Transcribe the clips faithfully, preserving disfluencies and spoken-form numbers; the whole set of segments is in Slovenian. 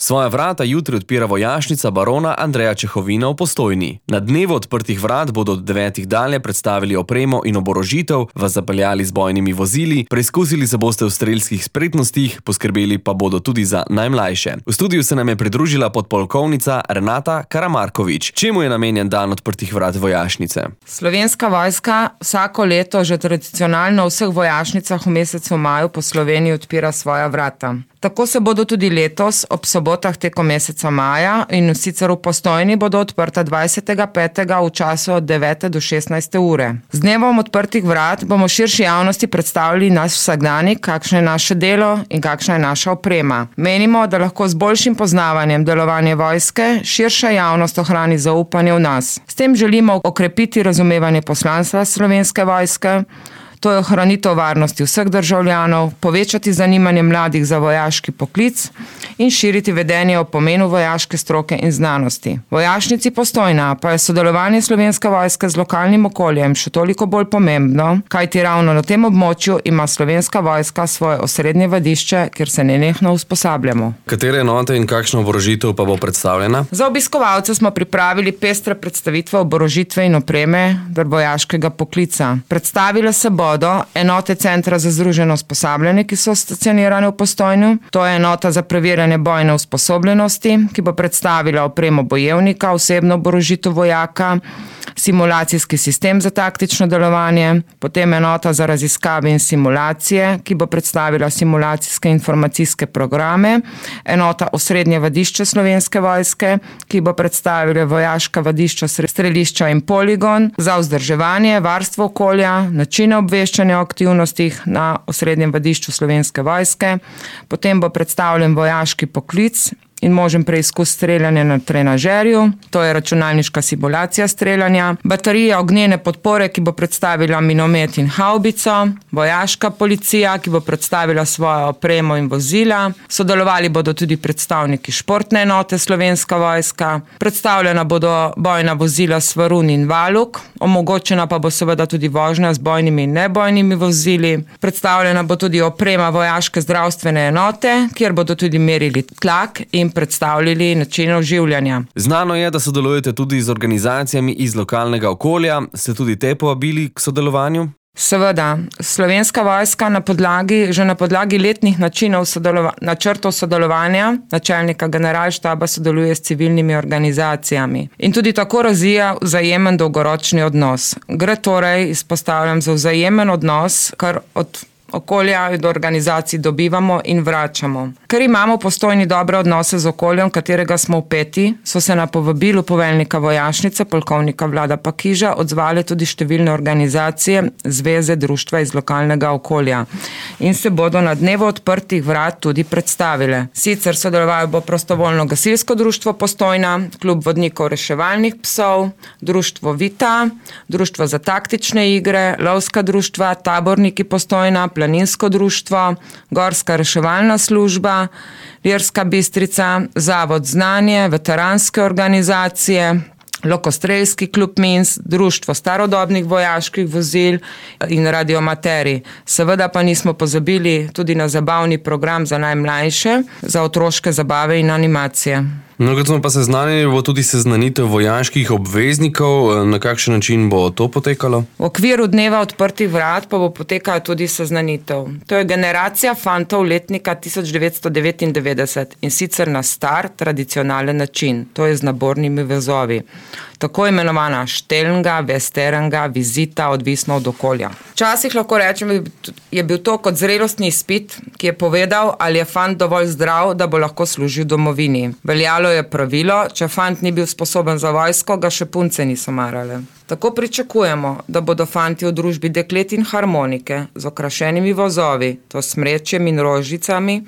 Svoja vrata jutri odpira vojašnica barona Andreja Čehovina v Postojni. Na dnevu odprtih vrat bodo od devetih dalje predstavili opremo in oborožitev, vas zapeljali z bojnimi vozili, preizkusili se boste v strelskih spretnostih, poskrbeli pa bodo tudi za najmlajše. V studiu se nam je pridružila podpolkovnica Renata Karamarkovič. Čemu je namenjen dan odprtih vrat vojašnice? Slovenska vojska vsako leto že tradicionalno v vseh vojašnicah v mesecu maju po Sloveniji odpira svoja vrata. Tako se bodo tudi letos ob sobotah tekom meseca maja in sicer v Postojni bodo odprta dvajsetega petega v času od devete do šestnajste ure. Z dnevom odprtih vrat bomo širši javnosti predstavili naš vsakdanik, kakšno je naše delo in kakšna je naša oprema. Menimo, da lahko z boljšim poznavanjem delovanja vojske širša javnost ohrani zaupanje v nas. S tem želimo okrepiti razumevanje poslanstva Slovenske vojske, to je ohranitev varnosti vseh državljanov, povečati zanimanje mladih za vojaški poklic in širiti vedenje o pomenu vojaške stroke in znanosti. V vojašnici Postojna pa je sodelovanje Slovenske vojske z lokalnim okoljem še toliko bolj pomembno, kajti ravno na tem območju ima Slovenska vojska svoje osrednje vadišče, kjer se nenehno usposabljamo. Katere enote in kakšna oborožitev pa bo predstavljena? Za obiskovalce smo pripravili pestre predstavitve oborožitve in opreme ter vojaškega poklica. Predstavile se bo enote Centra za združeno usposabljanje, ki so stacionirane v Postojnu. To je enota za preverjanje bojne usposobljenosti, ki bo predstavila opremo bojevnika, osebno oborožitev vojaka, simulacijski sistem za taktično delovanje, potem enota za raziskave in simulacije, ki bo predstavila simulacijske informacijske programe, enota osrednje vadišče Slovenske vojske, ki bo predstavila vojaška vadišča, strelišča in poligon za vzdrževanje, varstvo okolja, načine obveščanja o aktivnostih na osrednjem vadišču Slovenske vojske, potem bo predstavljen vojaški poklic in možen preizkus streljanja na trenažerju, to je računalniška simulacija streljanja, baterija ognjene podpore, ki bo predstavila minomet in havbico, vojaška policija, ki bo predstavila svojo opremo in vozila, sodelovali bodo tudi predstavniki športne enote Slovenska vojska, predstavljena bodo bojna vozila Svarun in Valuk, omogočena pa bo seveda tudi vožnja z bojnimi in nebojnimi vozili, predstavljena bo tudi oprema vojaške zdravstvene enote, kjer bodo tudi merili tlak in predstavljali način oživljanja. Znano je, da sodelujete tudi z organizacijami iz lokalnega okolja. Ste tudi te povabili k sodelovanju? Seveda. Slovenska vojska na podlagi, že na podlagi letnih načinov sodelova, načrtov sodelovanja načelnika generalštaba sodeluje s civilnimi organizacijami. In tudi tako razvija vzajemen dolgoročni odnos. Gre torej, izpostavljam, za vzajemen odnos, kar od okolja in organizacij dobivamo in vračamo. Ker imamo v Postojni dobre odnose z okoljem, katerega smo vpeti, so se na povabilu poveljnika vojašnice, polkovnika Vlada Pakiža, odzvale tudi številne organizacije, zveze, društva iz lokalnega okolja in se bodo na dnevu odprtih vrat tudi predstavile. Sicer sodelovalo bo prostovoljno gasilsko društvo Postojna, klub vodnikov reševalnih psov, društvo Vita, društvo za taktične igre, lovska društva, taborniki Postojna, planinsko društvo, gorska reševalna služba, Lirska Bistrica, Zavod Znanje, veteranske organizacije, Lokostrelski klub Minsk, društvo starodobnih vojaških vozil in radiomateri. Seveda pa nismo pozabili tudi na zabavni program za najmlajše, za otroške zabave in animacije. No, kot smo pa seznanili, bo tudi seznanitev vojaških obveznikov. Na kakšen način bo to potekalo? V okviru dneva odprtih vrat pa bo potekala tudi seznanitev. To je generacija fantov letnika tisoč devetsto devetindevetdeset in sicer na star, tradicionalen način, to je z nabornimi vezovi. Tako imenovana štelnga, vesteranga, vizita, odvisno od okolja. Včasih lahko rečem, je bil to kot zrelostni izpit, ki je povedal, ali je fant dovolj zdrav, da bo lahko služil domovini. Veljalo je pravilo, če fant ni bil sposoben za vojsko, ga še punce niso marale. Tako pričakujemo, da bodo fanti v družbi deklet in harmonike z okrašenimi vozovi, to s smrečjem in rožicami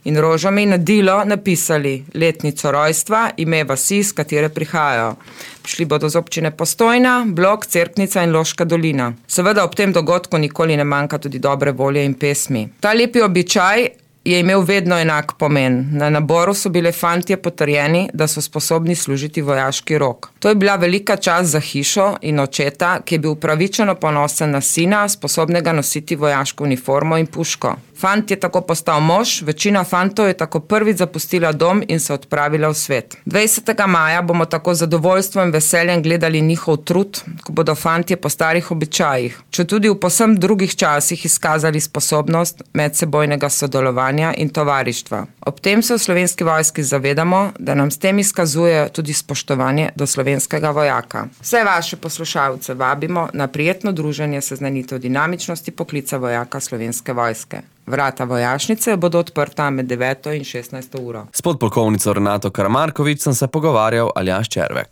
in rožami na dilo napisali letnico rojstva, ime vasi, z katere prihajajo. Prišli bodo z občine Postojna, Blok, Cerknica in Loška dolina. Seveda ob tem dogodku nikoli ne manjka tudi dobre volje in pesmi. Ta lepi običaj je imel vedno enak pomen. Na naboru so bile fantje potrjeni, da so sposobni služiti vojaški rok. To je bila velika čast za hišo in očeta, ki je bil upravičeno ponosen na sina, sposobnega nositi vojaško uniformo in puško. Fant je tako postal mož, večina fantov je tako prvič zapustila dom in se odpravila v svet. dvajsetega maja bomo tako z zadovoljstvom in veseljem gledali njihov trud, ko bodo fantje po starih običajih, če tudi v povsem drugih časih izkazali sposobnost medsebojnega sodelovanja in tovarištva. Ob tem se v Slovenski vojski zavedamo, da nam s tem izkazujejo tudi spoštovanje do slovenskega vojaka. Vse vaše poslušalce vabimo na prijetno druženje seznanitev dinamičnosti poklica vojaka Slovenske vojske. Vrata vojašnice bodo odprta med deveto in šestnajsto uro. S podpolkovnico Renato Karamarkovič sem se pogovarjal Aljaž Červek.